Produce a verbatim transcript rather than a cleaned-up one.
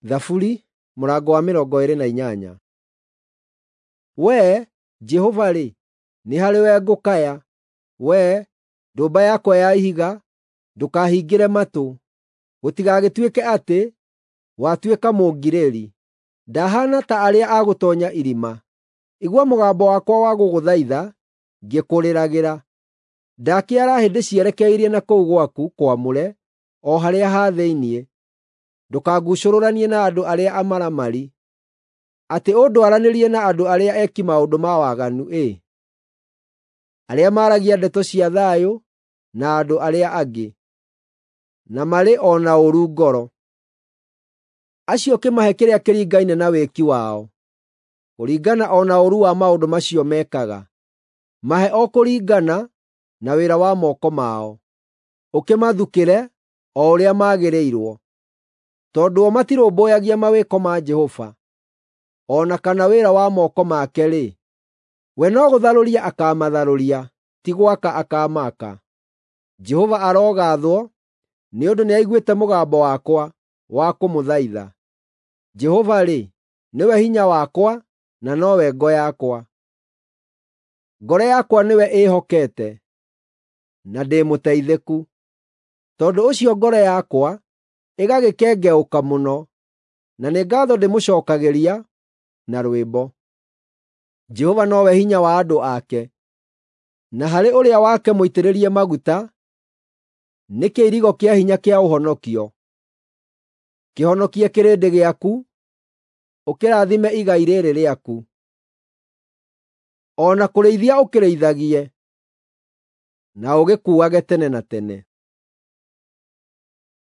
Thaburi mũrango wa mĩrongo ĩĩrĩ na inyanya. Wee, Jehova-rĩ, nĩ harĩwe ngũkaya; Wee, ndũmba yakwa ya ihiga, ndũkahingĩre matũ. Gũtigagĩtuĩke atĩ watuĩka mũngirĩri; ndahaana ta arĩa a gũtoonya irima. Igua mũgambo wakwa wa gũgũthaitha ngĩkũrĩragĩra. Ndakĩara hĩ ndĩcierekeirie na kũu gwaku kwamũre, o harĩa ha thĩinĩ. Ndũkanguucũrũranie na andũ arĩa amaramari, atĩ ũndwaranĩrie na andũ arĩa eki maũndũ ma waganu-ĩ, arĩa maaragia ndeto cia thayũ na andũ arĩa angĩ, na marĩ o na ũũru ngoro. Acio ũkĩmahe kĩrĩa kĩringaine na wĩki wao, kũringana o na ũũru wa maũndũ macio mekaga. Mahe o kũringana na wĩra wa moko mao, ũkĩmathukĩre o ũrĩa magĩrĩirwo. Tondũ o matirũmbũyagia mawĩko ma Jehova, o na kana wĩra wa moko make-rĩ, we no gũtharũria akaamatharũria, ti gwaka akaamaaka. Jehova arogaathwo, nĩ ũndũ nĩaiguĩte mũgambo wakwa wa kũmũthaitha. Jehova-rĩ, nĩwe hinya wakwa na nowe ngo yakwa. Ngoro yakwa nĩwe ĩĩhokete, na ndĩmũteithĩku. Tondũ ũcio ngoro yakwa ĩgagĩkengeũka mũno, na nĩ ngaatho ndĩmũcookagĩria na rwĩmbo. Jehova nowe hinya wa andũ ake, na harĩ ũrĩa wake mũitĩrĩrie maguta nĩ kĩirigo kĩa hinya kĩa ũhonokio. Kĩhonokie kĩrĩndĩ gĩaku, ũkĩrathime igai rĩĩrĩ rĩaku. O na kũrĩithia ũkĩrĩithagie, na ũgĩkuuage tene na tene.